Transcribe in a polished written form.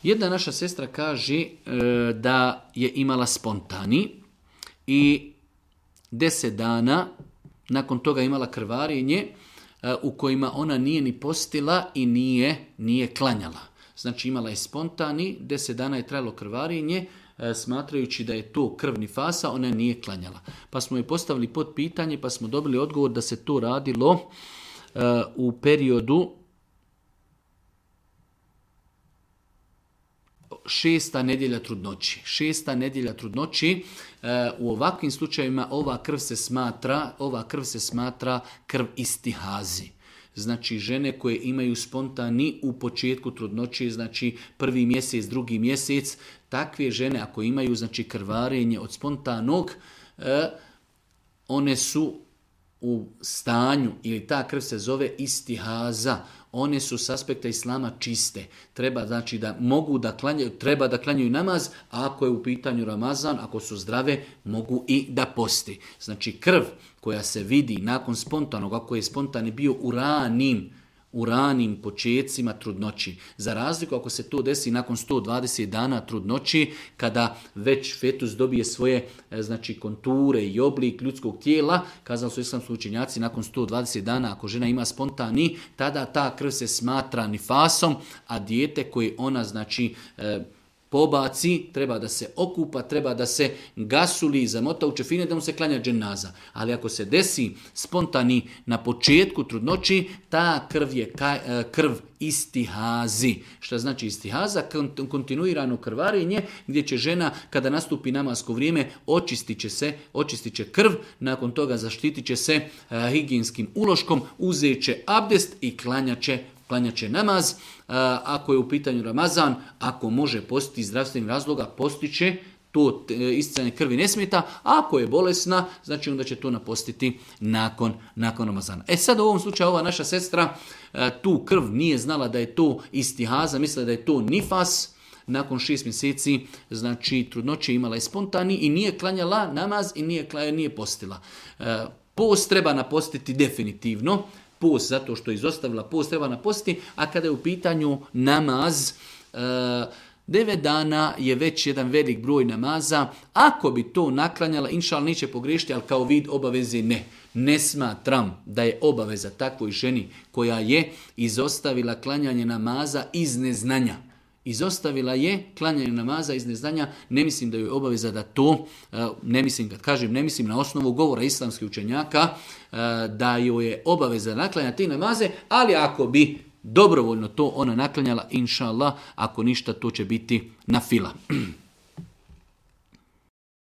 Jedna naša sestra kaže da je imala spontani i 10 dana nakon toga imala krvarenje u kojima ona nije ni postila i nije klanjala. Znači imala je spontani, 10 dana je trajalo krvarenje, smatrajući da je to krv nifasa, ona nije klanjala. Pa smo joj postavili pod pitanje, pa smo dobili odgovor da se to radilo u periodu 6. nedjelja trudnoći. 6. nedjelja trudnoći, u ovakvim slučajevima ova krv se smatra krv istihazi. Znači žene koje imaju spontani u početku trudnoći, znači 1. mjesec, 2. mjesec, takve žene ako imaju znači krvarenje od spontanog, one su u stanju, ili ta krv se zove istihaza, one su s aspekta islama čiste. Treba znači da mogu da klanjaju, treba da klanjaju namaz, a ako je u pitanju Ramazan, ako su zdrave, mogu i da posti. Znači krv koja se vidi nakon spontanog, ako je spontani bio u ranim počecima trudnoći. Za razliku ako se to desi nakon 120 dana trudnoći, kada već fetus dobije svoje znači konture i oblik ljudskog tijela, kazali su islamski učenjaci, nakon 120 dana ako žena ima spontani, tada ta krv se smatra nifasom, a dijete koje ona znači pobaci, treba da se okupa, treba da se gasuli i zamota u čefine da mu se klanja dženaza. Ali ako se desi spontani na početku trudnoći, ta krv je krv istihazi. Šta znači istihaza? Kontinuirano krvarenje gdje će žena kada nastupi namasko vrijeme očistit će krv, nakon toga zaštitit će se higijenskim uloškom, uzet će abdest i klanjat će namaz. Ako je u pitanju Ramazan, ako može postiti iz zdravstvenih razloga, postiće, to isticanje krvi ne smeta, a ako je bolesna, znači onda će to napostiti nakon Ramazana. Sad u ovom slučaju ova naša sestra tu krv nije znala da je to istihaza, mislila da je to nifas. Nakon 6 mjeseci, znači trudnoće imala je spontani i nije klanjala namaz i nije postila. Post treba napostiti definitivno, post zato što je izostavila post treba napostiti, a kada je u pitanju namaz, 9 dana je već jedan velik broj namaza. Ako bi to naklanjala, inšal neće pogriješiti, ali kao vid obaveze ne. Ne smatram da je obaveza takvoj ženi koja je izostavila klanjanje namaza iz neznanja. Izostavila je klanjanje namaza iz neznanja, ne mislim da joj je obaveza da to, ne mislim na osnovu govora islamskih učenjaka, da joj je obaveza naklanjati te namaze, ali ako bi dobrovoljno to ona naklanjala, inša Allah, ako ništa, to će biti na fila.